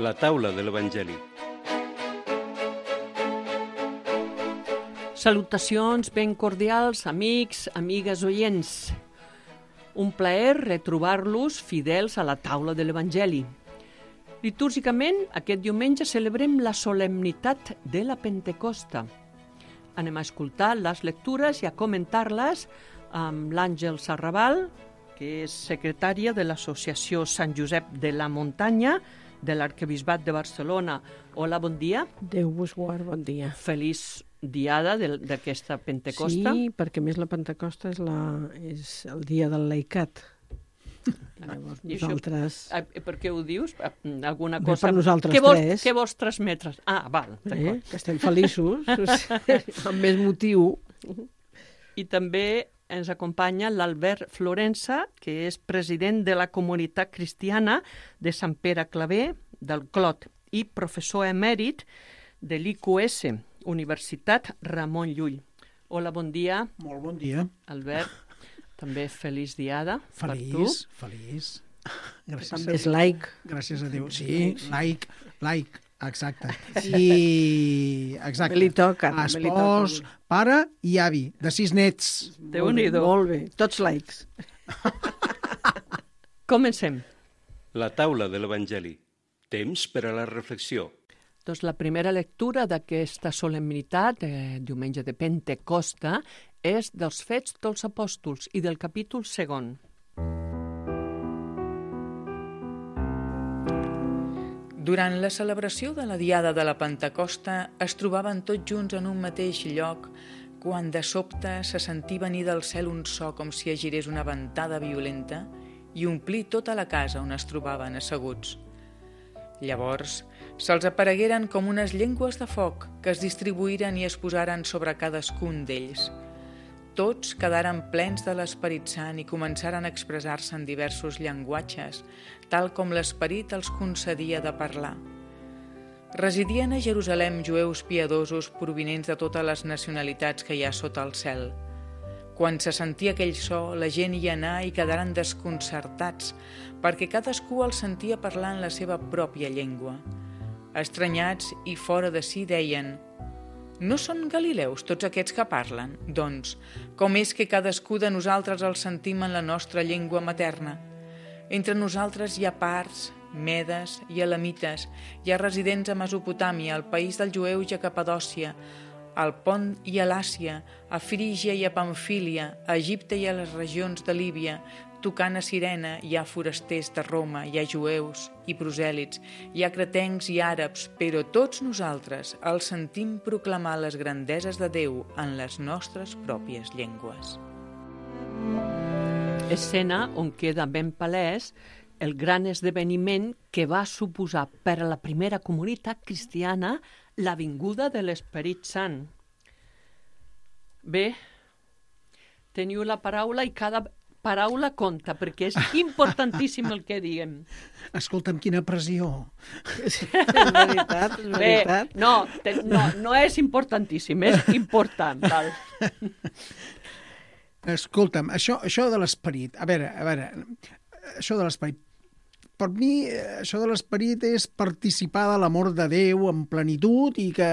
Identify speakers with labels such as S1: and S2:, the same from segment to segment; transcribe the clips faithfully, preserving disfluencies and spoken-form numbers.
S1: La taula de l'Evangeli.
S2: Salutacions ben cordials, amics, amigues oients. Un plaer retrobar-los fidels a la taula de l'Evangeli. Litúrgicament, aquest diumenge celebrem la solemnitat de la Pentecosta. Anem a escoltar les lectures i a comentar-les amb l'Àngel Sarrabal, que és secretària de l'Associació Sant Josep de la Muntanya de l'Arquebisbat de Barcelona. Hola, bon dia.
S3: Déu vos guard, bon dia.
S2: Feliç diada d'aquesta Pentecosta.
S3: Sí, perquè a més la Pentecosta és, la, és el dia del laicat. Llavors nosaltres...
S2: Això, per què ho dius? Alguna
S3: Bé,
S2: cosa...
S3: per nosaltres
S2: què vols,
S3: tres.
S2: Què vols transmetre? Ah, val,
S3: eh? Que estem feliços, amb més motiu.
S2: I també ens acompanya l'Albert Florença, que és president de la comunitat cristiana de Sant Pere Claver, del Clot, i professor emèrit de l'I Q S, Universitat Ramon Llull. Hola, bon dia.
S4: Molt bon dia.
S2: Albert, també feliç diada
S4: feliç,
S2: per tu.
S4: Feliç, feliç.
S3: També és laic.
S4: Gràcies a Déu. Sí, laic, laic, exacte. I, exacte.
S3: També li toca.
S4: Espòs, pare i avi, de sis nets.
S2: Déu-n'hi-do.
S3: Molt bé, tots laics.
S2: Comencem.
S1: La taula de l'Evangeli. Temps per a la reflexió.
S2: Doncs la primera lectura d'aquesta solemnitat, eh, diumenge de Pentecosta, és dels Fets dels Apòstols i del capítol segon.
S5: Durant la celebració de la Diada de la Pentecosta es trobaven tots junts en un mateix lloc quan de sobte se sentí venir del cel un so com si agirés una ventada violenta i omplí tota la casa on es trobaven asseguts. Llavors se'ls aparegueren com unes llengües de foc que es distribuïren i es posaren sobre cadascun d'ells. Tots quedaren plens de l'Esperit Sant i començaren a expressar-se en diversos llenguatges, tal com l'Esperit els concedia de parlar. Residien a Jerusalem jueus piadosos provinents de totes les nacionalitats que hi ha sota el cel. Quan se sentia aquell so, la gent hi anà i quedaren desconcertats, perquè cadascú el sentia parlar en la seva pròpia llengua. Estranyats i fora de si deien: «No són galileus tots aquests que parlen? Doncs, com és que cadascú de nosaltres el sentim en la nostra llengua materna? Entre nosaltres hi ha parts, medes i elamites, hi ha residents a Mesopotàmia, al país dels jueus i a Capadòcia, al Pont i a l'Àsia, a Frígia i a Pamfília, a Egipte i a les regions de Líbia, tocant a Cirene hi ha forasters de Roma, hi ha jueus i prosèlits, hi ha cretencs i àrabs, però tots nosaltres els sentim proclamar les grandeses de Déu en les nostres pròpies llengües».
S2: Escena on queda ben palès el gran esdeveniment que va suposar per a la primera comunitat cristiana la vinguda de l'Esperit Sant. Bé, teniu la paraula i cada paraula compta, perquè és importantíssim el que diguem.
S4: Escolta'm, quina pressió.
S3: És veritat, és veritat.
S2: Bé, no, te, no, no és importantíssim, és important. Val.
S4: Escolta'm, això, això de l'esperit, a veure, a veure, això de l'esperit, per mi, això de l'esperit és participar de l'amor de Déu en plenitud i que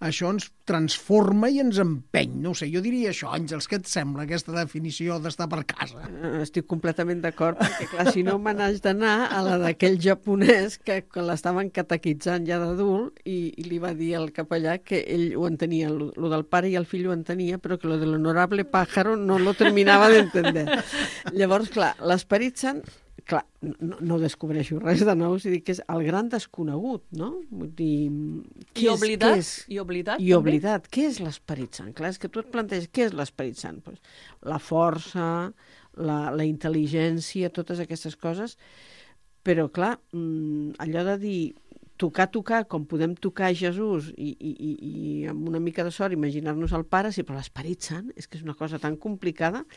S4: això ens transforma i ens empeny. No ho sé, jo diria això, Àngels, què et sembla aquesta definició d'estar per casa?
S3: Estic completament d'acord, perquè clar, si no me n'haig d'anar a la d'aquell japonès que, que l'estaven catequitzant ja d'adult i, i li va dir al capellà que ell ho entenia, lo, lo del pare i el fill ho entenia, però que lo de l'honorable pájaro no lo terminava d'entender. Llavors, clar, l'Esperit Sant, clar, no, no descobreixo res de nou, si dic que és el gran desconegut, no? Vull dir,
S2: I oblidat,
S3: és,
S2: i oblidat,
S3: I oblidat. Què és l'Esperit Sant? Clar, és que tu et planteges, què és l'Esperit Sant? Pues, la força, la, la intel·ligència, totes aquestes coses, però clar, allò de dir tocar, tocar, com podem tocar Jesús i, i, i, i amb una mica de sort imaginar-nos el Pare, sí, però l'Esperit Sant és que és una cosa tan complicada.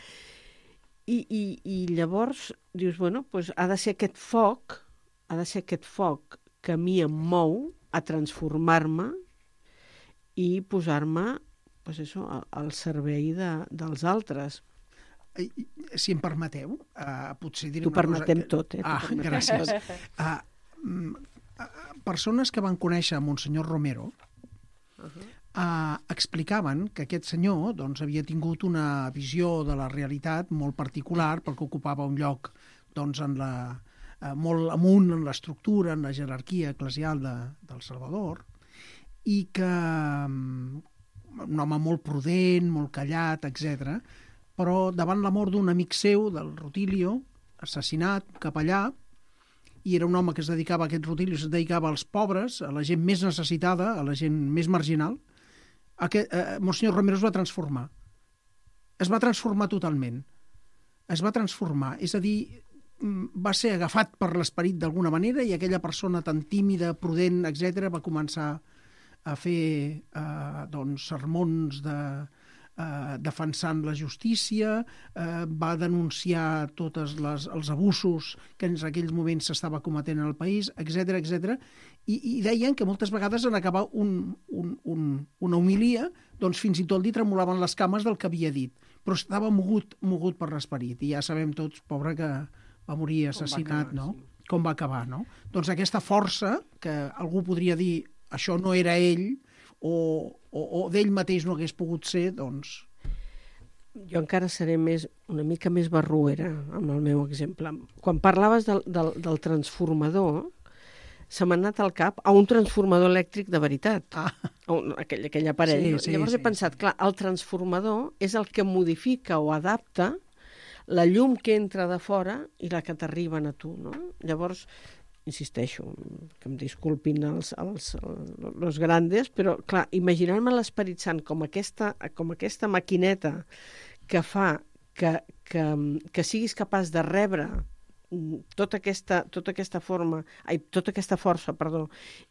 S3: I, i, i llavors dius, bueno, pues ha de ser aquest foc, ha de ser aquest foc que a mi em mou a transformar-me i posar-me pues això, al servei de, dels altres.
S4: Si em permeteu, uh, potser diré
S3: T'ho
S4: una cosa...
S3: permetem tot, eh?
S4: Ah, gràcies. Uh, persones que van conèixer Monsenyor Romero uh -huh. eh, explicaven que aquest senyor doncs, havia tingut una visió de la realitat molt particular perquè ocupava un lloc doncs, en la, eh, molt amunt en l'estructura, en la jerarquia eclesial de, del Salvador, i que un home molt prudent, molt callat, etcètera, però davant la mort d'un amic seu, del Rutilio, assassinat, capellà, i era un home que es dedicava a aquest Rutilio, es dedicava als pobres, a la gent més necessitada, a la gent més marginal, aquest, eh, Monsenyor Romero es va transformar. Es va transformar totalment. Es va transformar. És a dir, va ser agafat per l'esperit d'alguna manera i aquella persona tan tímida, prudent, etcètera, va començar a fer eh, doncs, sermons de, eh, defensant la justícia, eh, va denunciar tots les, els abusos que en aquells moments s'estava cometent en el país, etcètera, etcètera, i, i deien que moltes vegades en acabar un, un, un, una homilia, doncs fins i tot li tremolaven les cames del que havia dit, però estava mogut, mogut per l'esperit, i ja sabem tots, pobre, que va morir assassinat,
S2: acabar,
S4: no?
S2: sí.
S4: Com va acabar, no? Doncs aquesta força, que algú podria dir això no era ell, o, o, o d'ell mateix no hagués pogut ser, doncs...
S3: Jo encara seré més, una mica més barruera amb el meu exemple. Quan parlaves del, del, del transformador, se m'ha anat al cap a un transformador elèctric de veritat,
S4: Ah.
S3: a un, aquell, aquell aparell.
S4: Sí,
S3: no?
S4: sí,
S3: Llavors
S4: sí,
S3: he pensat, clar, el transformador és el que modifica o adapta la llum que entra de fora i la que t'arriben a tu, no? Llavors, insisteixo, que em disculpin els, els, els, els grandes, però, clar, imaginar-me l'Esperit Sant com aquesta, com aquesta maquineta que fa que, que, que siguis capaç de rebre tota aquesta, tota aquesta forma, ai, tota aquesta força, perdó,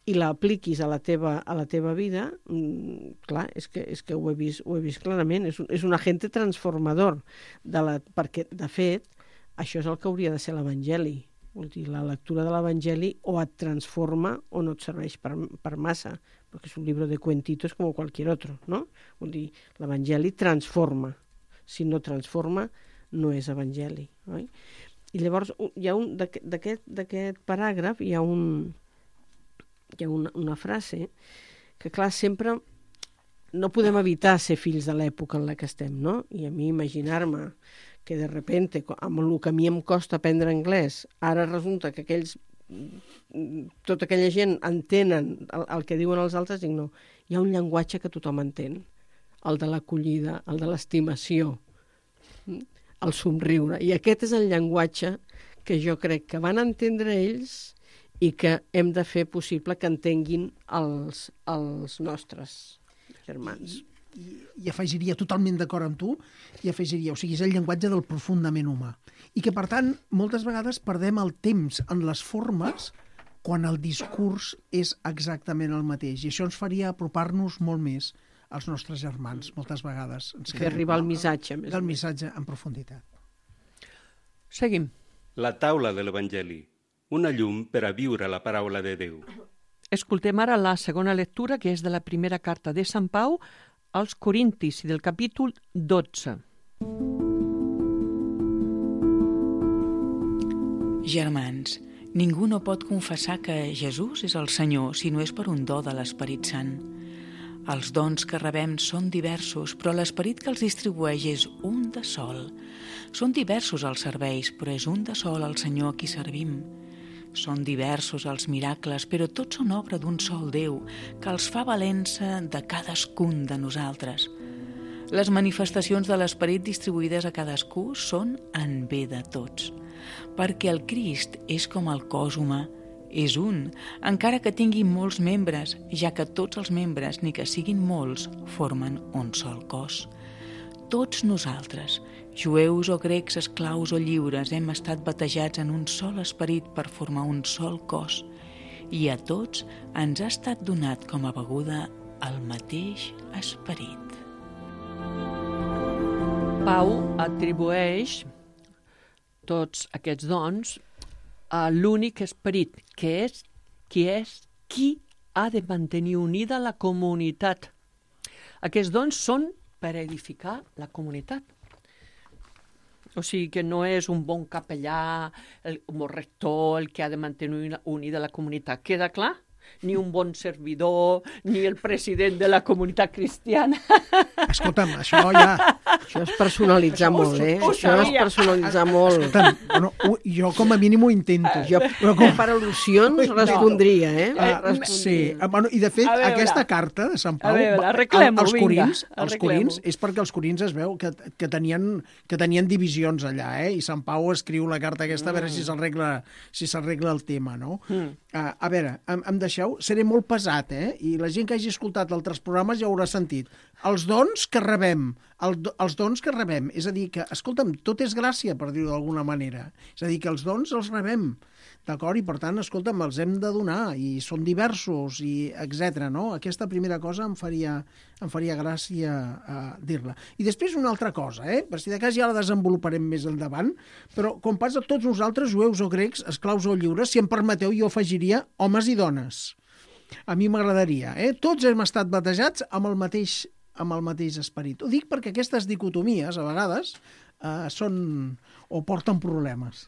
S3: i la apliquis a la teva, a la teva vida, mm, clar, és que, és que ho he vist, ho he vist clarament, és un, és un agente transformador, de la, perquè, de fet, això és el que hauria de ser l'Evangeli. Vol dir, la lectura de l'Evangeli o et transforma o no et serveix per, per massa, perquè és un llibre de cuentitos com qualsevol altre, no? Vol dir, l'Evangeli transforma. Si no transforma, no és Evangeli, oi? I llavors hi ha un d'aquest paràgraf hi ha un hi ha una, una frase que, clar, sempre no podem evitar ser fills de l'època en la que estem, no? I a mi imaginar-me que de repente, amb el que a mi em costa aprendre anglès, ara resulta que aquells, tota aquella gent entenen el, el que diuen els altres, dic no, hi ha un llenguatge que tothom entén, el de l'acollida, el de l'estimació, el somriure, i aquest és el llenguatge que jo crec que van entendre ells i que hem de fer possible que entenguin els, els nostres germans.
S4: I, i afegiria, totalment d'acord amb tu, i afegiria, o sigui, és el llenguatge del profundament humà. I que, per tant, moltes vegades perdem el temps en les formes quan el discurs és exactament el mateix. I això ens faria apropar-nos molt més als nostres germans, moltes vegades. Ens
S3: Fer arribar el missatge. Més
S4: el missatge en profunditat.
S2: Seguim.
S1: La taula de l'Evangeli, una llum per a viure la paraula de Déu.
S2: Escoltem ara la segona lectura, que és de la primera carta de Sant Pau als Corintis, i del capítol dotze.
S5: Germans, ningú no pot confessar que Jesús és el Senyor si no és per un do de l'Esperit Sant. Els dons que rebem són diversos, però l'Esperit que els distribueix és un de sol. Són diversos els serveis, però és un de sol el Senyor a qui servim. Són diversos els miracles, però tots són obra d'un sol Déu, que els fa valença de cadascun de nosaltres. Les manifestacions de l'Esperit distribuïdes a cadascú són en bé de tots, perquè el Crist és com el cos humà, és un, encara que tingui molts membres, ja que tots els membres, ni que siguin molts, formen un sol cos. Tots nosaltres, jueus o grecs, esclaus o lliures, hem estat batejats en un sol esperit per formar un sol cos, i a tots ens ha estat donat com a beguda el mateix esperit.
S2: Pau atribueix tots aquests dons a l'únic esperit, que és qui és qui ha de mantenir unida la comunitat. Aquests dons són per edificar la comunitat. O sigui que no és un bon capellà, el, un rector, el que ha de mantenir unida la comunitat. Queda clar? Ni un bon servidor, ni el president de la comunitat cristiana.
S4: Escolta'm, això ja...
S3: Això és personalitzar
S2: Això ho
S3: molt, eh?
S2: ho
S3: Això és
S2: sabia.
S3: personalitzar molt.
S4: Escolta'm, bueno, ho- jo com a mínim ho intento.
S3: Jo,
S4: Però com-
S3: per al·lusions, respondria, eh?
S4: Ah,
S3: Respondria.
S4: sí, Ah, bueno, i de fet
S2: A veure.
S4: aquesta carta de Sant Pau
S2: A veure,
S4: va-
S2: arreglem-ho,
S4: els
S2: vinga,
S4: corins, els
S2: arreglem-ho.
S4: corins és perquè els corins es veu que, que, tenien, que tenien divisions allà, eh? I Sant Pau escriu la carta aquesta a veure si s'arregla si s'arregla el tema, no?
S2: Mm.
S4: Ah, a veure, em, em deixeu, seré molt pesat, eh? I la gent que hagi escoltat altres programes ja ho haurà sentit. Els dons que rebem, el, do- els dons que rebem, és a dir, que, escolta'm, tot és gràcia, per dir-ho d'alguna manera. És a dir, que els dons els rebem, d'acord? I per tant, escolta'm, els hem de donar, i són diversos, i etcètera. No? Aquesta primera cosa em faria, em faria gràcia uh, dir-la. I després una altra cosa, eh? Per si de cas ja la desenvoluparem més endavant, però com passa a tots nosaltres, jueus o grecs, esclaus o lliures, si em permeteu, jo afegiria homes i dones. A mi m'agradaria, eh? Tots hem estat batejats amb el mateix amb el mateix esperit. Ho dic perquè aquestes dicotomies, a vegades, eh, són o porten problemes.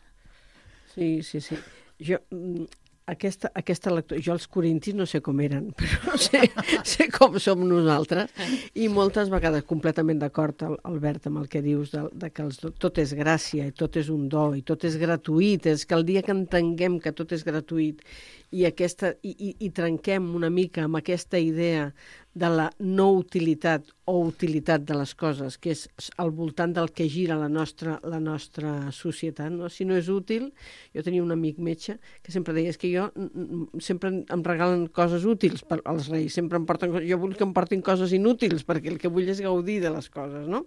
S3: Sí, sí, sí. Jo, mm, aquesta, aquesta lectura... Jo els corintis no sé com eren, però sé, sé com som nosaltres. I moltes vegades, completament d'acord, Al- Albert, amb el que dius, de, de que els, do- tot és gràcia, i tot és un do, i tot és gratuït. És que el dia que entenguem que tot és gratuït i, aquesta, i, i, i trenquem una mica amb aquesta idea de la no utilitat o utilitat de les coses, que és al voltant del que gira la nostra, la nostra societat. No? Si no és útil, jo tenia un amic metge que sempre deia, és que jo mm, mm, sempre em regalen coses útils per, als reis, sempre em porten, jo vull que em portin coses inútils, perquè el que vull és gaudir de les coses, no?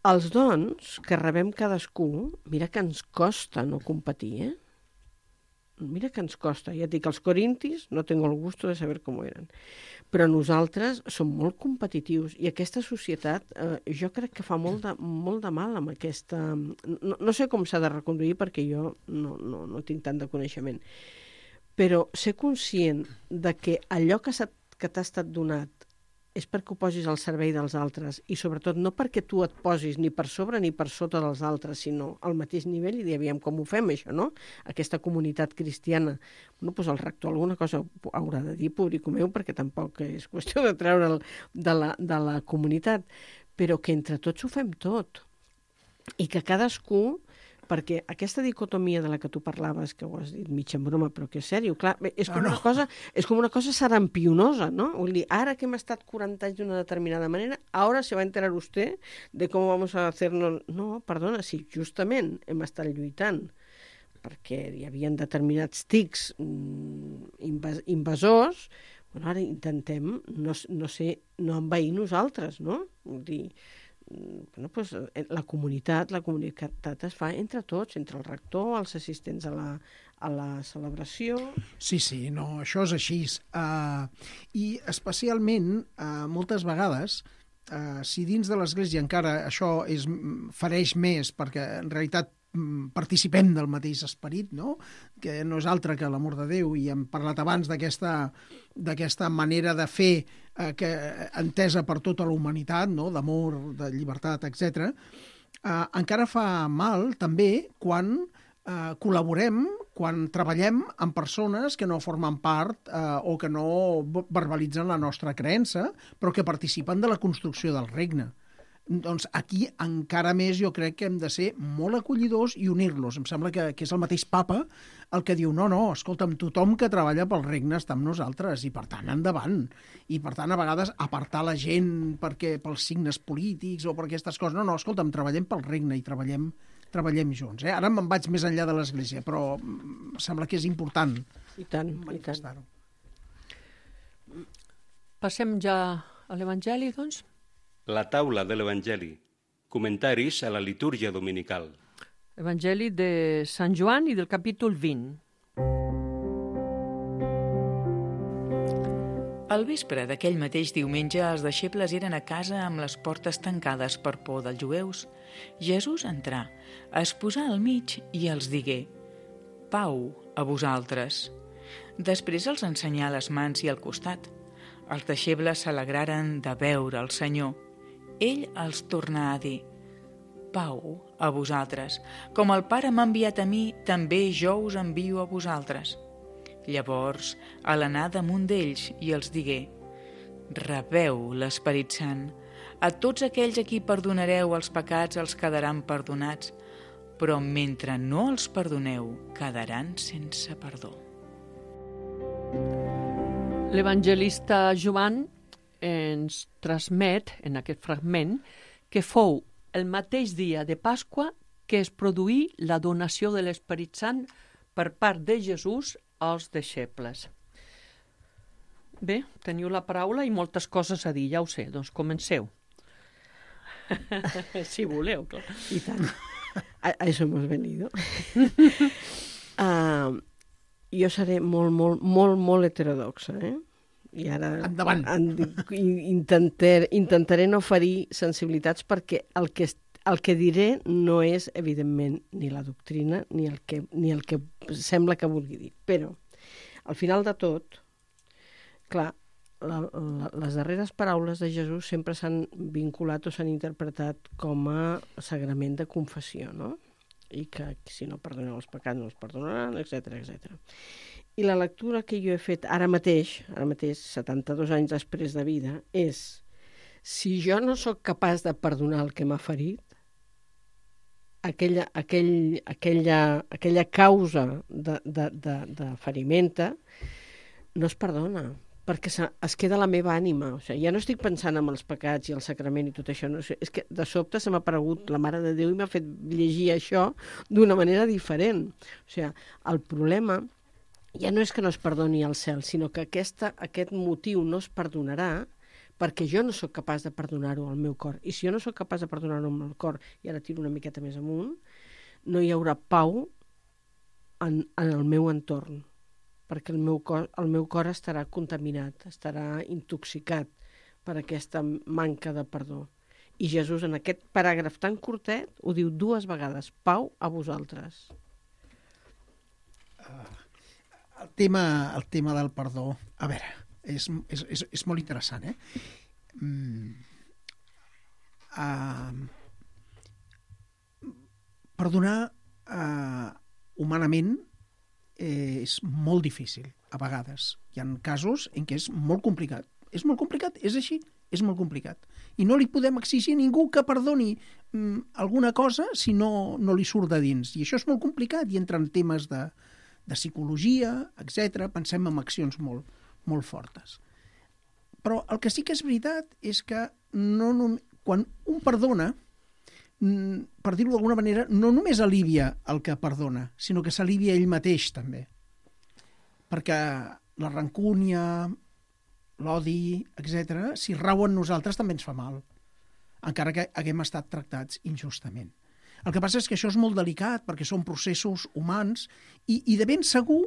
S3: Els dons que rebem cadascú, mira que ens costa no competir, eh? Mira que ens costa. Ja et dic, els corintis no tengo el gusto de saber com eren. Però nosaltres som molt competitius i aquesta societat eh, jo crec que fa molt de, molt de mal amb aquesta... No, no sé com s'ha de reconduir perquè jo no, no, no tinc tant de coneixement. Però ser conscient de que allò que, s'ha- que t'ha estat donat és perquè ho posis al servei dels altres i sobretot no perquè tu et posis ni per sobre ni per sota dels altres, sinó al mateix nivell i dir, aviam com ho fem això, no? Aquesta comunitat cristiana. Bueno, doncs el rector alguna cosa haurà de dir, pobrico meu, perquè tampoc és qüestió de treure'l de la, de la comunitat, però que entre tots ho fem tot i que cadascú, perquè aquesta dicotomia de la que tu parlaves, que ho has dit mig en broma, però que és sèrio, clar, bé, és com,
S4: No, no.
S3: una cosa, és com una cosa sarampionosa, ¿no? Vull dir, ara que hem estat quaranta anys d'una determinada manera, ara se va a enterar usted de com vamos a hacernos... No, perdona, si justament hem estat lluitant perquè hi havia determinats tics mm, invas invasors, bueno, ara intentem no, no ser, no envair nosaltres, no? Vull dir, bueno, pues, la comunitat, la comunitat es fa entre tots, entre el rector, els assistents a la, a la celebració...
S4: Sí, sí, no, això és així. Uh, I especialment, uh, moltes vegades, uh, si dins de l'Església encara això és, fareix més, perquè en realitat mm, participem del mateix esperit, no? Que no és altre que l'amor de Déu, i hem parlat abans d'aquesta d'aquesta manera de fer eh, que, entesa per tota la humanitat, no? D'amor, de llibertat, etcètera. Eh, encara fa mal també quan eh, col·laborem, quan treballem amb persones que no formen part eh, o que no verbalitzen la nostra creença, però que participen de la construcció del regne. Doncs aquí encara més jo crec que hem de ser molt acollidors i unir-los. Em sembla que, que és el mateix papa el que diu, no, no, escolta'm, tothom que treballa pel regne està amb nosaltres i per tant endavant. I per tant a vegades apartar la gent perquè pels signes polítics o per aquestes coses. No, no, escolta'm, treballem pel regne i treballem, treballem junts. Eh? Ara me'n vaig més enllà de l'Església, però em sembla que és important
S3: I tant, i tant.
S4: manifestar-ho.
S2: Passem ja a l'Evangeli, doncs?
S1: La taula de l'Evangeli. Comentaris a la litúrgia dominical.
S2: Evangeli de Sant Joan i del capítol vint.
S5: Al vespre d'aquell mateix diumenge, els deixebles eren a casa amb les portes tancades per por dels jueus. Jesús entrà, es posà al mig i els digué: «Pau a vosaltres». Després els ensenyà les mans i el costat. Els deixebles s'alegraren de veure el Senyor. Ell els tornà a dir: pau a vosaltres. Com el Pare m'ha enviat a mi, també jo us envio a vosaltres. Llavors, a l'anar damunt d'ells, i els digué: rebeu l'Esperit Sant. A tots aquells a qui perdonareu els pecats els quedaran perdonats, però mentre no els perdoneu, quedaran sense perdó.
S2: L'evangelista Joan ens transmet en aquest fragment que fou el mateix dia de Pasqua que es produí la donació de l'Esperit Sant per part de Jesús als deixebles. Bé, teniu la paraula i moltes coses a dir, ja ho sé, doncs comenceu. Si voleu, clar.
S3: I tant. A, a eso hemos venido. uh, jo seré molt, molt, molt, molt heterodoxa, eh? I ara
S4: Endavant.
S3: En, intentar, intentaré no ferir sensibilitats perquè el que, el que diré no és, evidentment, ni la doctrina ni el que, ni el que sembla que vulgui dir. Però, al final de tot, clar, la, la, les darreres paraules de Jesús sempre s'han vinculat o s'han interpretat com a sagrament de confessió, no? I que si no perdoneu els pecats no els perdonaran, etcètera, etcètera. I la lectura que jo he fet ara mateix, ara mateix, setanta-dos anys després de vida, és: si jo no sóc capaç de perdonar el que m'ha ferit, aquella, aquell, aquella, aquella causa de, de, de, de ferimenta no es perdona, perquè es queda la meva ànima. O sigui, ja no estic pensant en els pecats i el sacrament i tot això. No sé, és que de sobte se m'ha aparegut la Mare de Déu i m'ha fet llegir això d'una manera diferent. O sigui, el problema ja no és que no es perdoni al cel, sinó que aquesta, aquest motiu no es perdonarà perquè jo no sóc capaç de perdonar-ho al meu cor. I si jo no sóc capaç de perdonar-ho al meu cor, i ara tiro una miqueta més amunt, no hi haurà pau en, en el meu entorn, perquè el meu cor, el meu cor estarà contaminat, estarà intoxicat per aquesta manca de perdó. I Jesús, en aquest paràgraf tan curtet, ho diu dues vegades: pau a vosaltres.
S4: Uh, el, tema, el tema del perdó, a veure, és, és, és, és molt interessant, eh? Mm, uh, perdonar uh, humanament eh, és molt difícil, a vegades. Hi ha casos en què és molt complicat. És molt complicat, és així, és molt complicat. I no li podem exigir a ningú que perdoni mm, alguna cosa si no, no li surt de dins. I això és molt complicat i entra en temes de, de psicologia, etcètera. Pensem en accions molt, molt fortes. Però el que sí que és veritat és que no, no, quan un perdona, per dir-ho d'alguna manera, no només alivia el que perdona, sinó que s'alivia ell mateix també. Perquè la rancúnia, l'odi, etcètera, si rau en nosaltres també ens fa mal, encara que haguem estat tractats injustament. El que passa és que això és molt delicat perquè són processos humans i, i de ben segur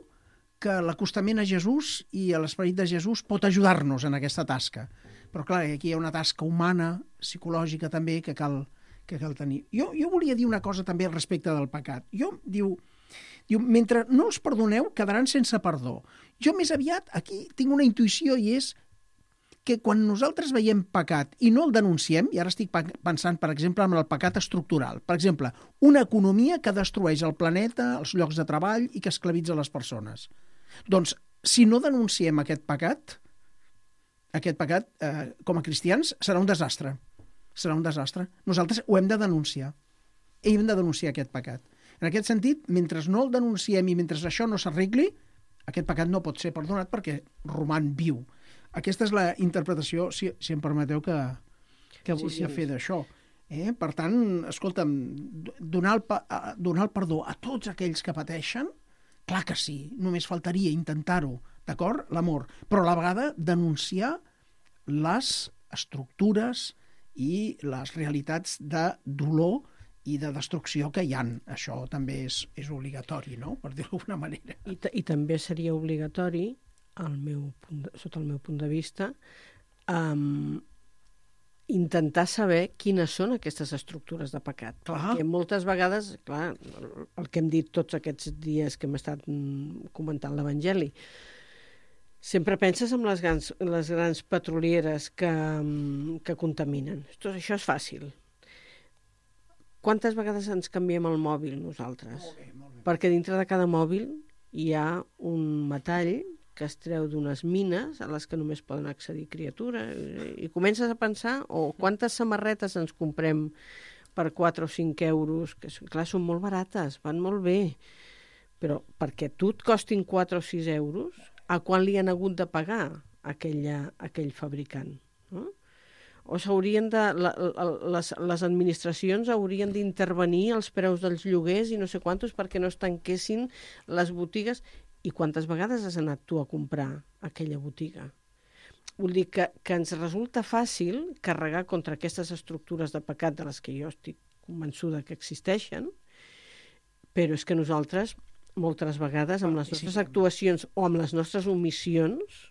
S4: que l'acostament a Jesús i a l'esperit de Jesús pot ajudar-nos en aquesta tasca. Però clar, aquí hi ha una tasca humana, psicològica també, que cal, que cal tenir. Jo, jo volia dir una cosa també al respecte del pecat. Jo, diu, diu, mentre no els perdoneu, quedaran sense perdó. Jo més aviat aquí tinc una intuïció i és que quan nosaltres veiem pecat i no el denunciem, i ara estic pensant, per exemple, en el pecat estructural, per exemple, una economia que destrueix el planeta, els llocs de treball i que esclavitza les persones. Doncs, si no denunciem aquest pecat, aquest pecat, eh, com a cristians, serà un desastre. Serà un desastre. Nosaltres ho hem de denunciar. Hem de denunciar aquest pecat. En aquest sentit, mentre no el denunciem i mentre això no s'arregli, aquest pecat no pot ser perdonat perquè roman viu. Aquesta és la interpretació, si, si em permeteu, que, que volia sí, sí. fer d'això. Eh? Per tant, escolta'm, donar el, donar el perdó a tots aquells que pateixen, clar que sí, només faltaria intentar-ho, d'acord? L'amor. Però a la vegada denunciar les estructures i les realitats de dolor i de destrucció que hi ha. Això també és, és obligatori, no?, per dir-ho d'alguna manera.
S3: I, I també seria obligatori, al meu punt de, sota el meu punt de vista, um, intentar saber quines són aquestes estructures de pecat. Clar. Perquè moltes vegades, clar, el que hem dit tots aquests dies que hem estat comentant l'Evangeli, sempre penses en les grans, les grans petrolieres que, que contaminen. Això és fàcil. quantes vegades ens canviem el mòbil nosaltres?
S4: Molt bé, molt bé.
S3: Perquè dintre de cada mòbil hi ha un metall que es treu d'unes mines a les que només poden accedir criatures. I comences a pensar, o quantes samarretes ens comprem per quatre o cinc euros, que clar, són molt barates, van molt bé, però perquè tu et costin quatre o sis euros, a quan li han hagut de pagar aquella, aquell fabricant? No? O s'haurien de... La, les, les administracions haurien d'intervenir els preus dels lloguers i no sé quantos perquè no es tanquessin les botigues. I quantes vegades has anat tu a comprar aquella botiga? Vull dir que, que ens resulta fàcil carregar contra aquestes estructures de pecat de les que jo estic convençuda que existeixen, però és que nosaltres, moltes vegades, amb les nostres actuacions o amb les nostres omissions,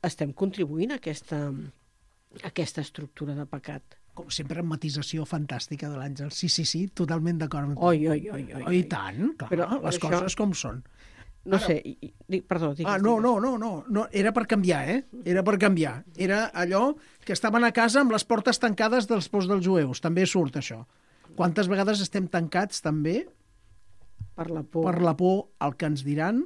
S3: estem contribuint a aquesta, a aquesta estructura de pecat.
S4: Com sempre, amb matisació fantàstica de l'Àngel. Sí, sí, sí, totalment d'acord amb tu.
S3: Oi, oi, oi, oi.
S4: Oh, i tant, clar,
S3: Però,
S4: les
S3: això...
S4: coses com són.
S3: No Ara... sé, i, i, perdó, digues.
S4: Ah, no, no, no, no, no, era per canviar, eh? Era per canviar. Era allò que estaven a casa amb les portes tancades dels pors dels jueus. També surt això. Quantes vegades estem tancats, també,
S3: per la por,
S4: per la por al que ens diran,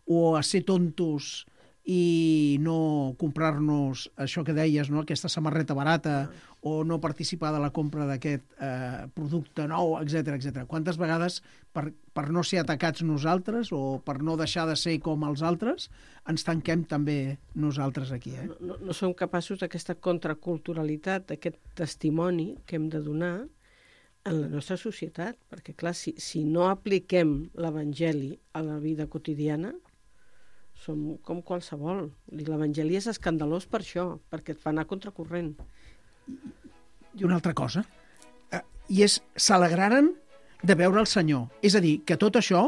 S4: o a ser tontos i no comprar-nos això que deies, no? Aquesta samarreta barata, o no participar de la compra d'aquest eh, producte nou, etcètera, etcètera. Quantes vegades, per, per no ser atacats nosaltres o per no deixar de ser com els altres, ens tanquem també nosaltres aquí, eh?
S3: No, no, no som capaços d'aquesta contraculturalitat, d'aquest testimoni que hem de donar en la nostra societat, perquè clar, si, si no apliquem l'Evangeli a la vida quotidiana, som com qualsevol. L'Evangeli és escandalós per això, perquè et fa anar contracorrent.
S4: I una altra cosa, eh, i és, s'alegraren de veure el Senyor. És a dir, que tot això,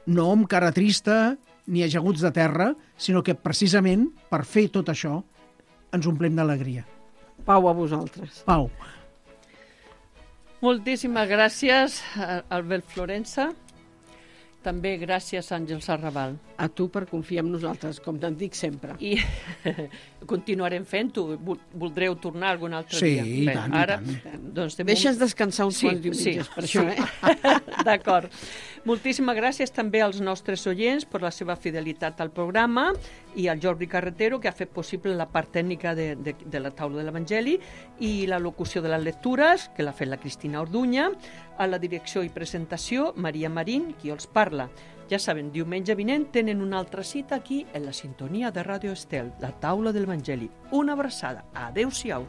S4: no amb cara trista ni ajaguts de terra, sinó que precisament per fer tot això ens omplem d'alegria.
S3: Pau a vosaltres.
S4: Pau.
S2: Moltíssimes gràcies, Albert Florença. També gràcies, Àngel Sarraval.
S3: A tu per confiar en nosaltres, com te'n dic sempre.
S2: I continuarem fent-ho. Voldreu tornar algun altre
S4: sí,
S2: dia?
S4: Sí, i tant,
S2: Ara,
S4: i tant.
S3: Doncs Deixes un... descansar uns
S2: sí,
S3: quants diumenges
S2: sí,
S3: per
S2: sí.
S3: això, eh?
S2: D'acord. Moltíssimes gràcies també als nostres oients per la seva fidelitat al programa i al Jordi Carretero, que ha fet possible la part tècnica de, de, de la taula de l'Evangeli i la locució de les lectures, que l'ha fet la Cristina Orduña, a la direcció i presentació, Maria Marín, qui els parla. Ja saben, diumenge vinent tenen una altra cita aquí en la sintonia de Ràdio Estel, la taula de l'Evangeli. Una abraçada. Adéu-siau.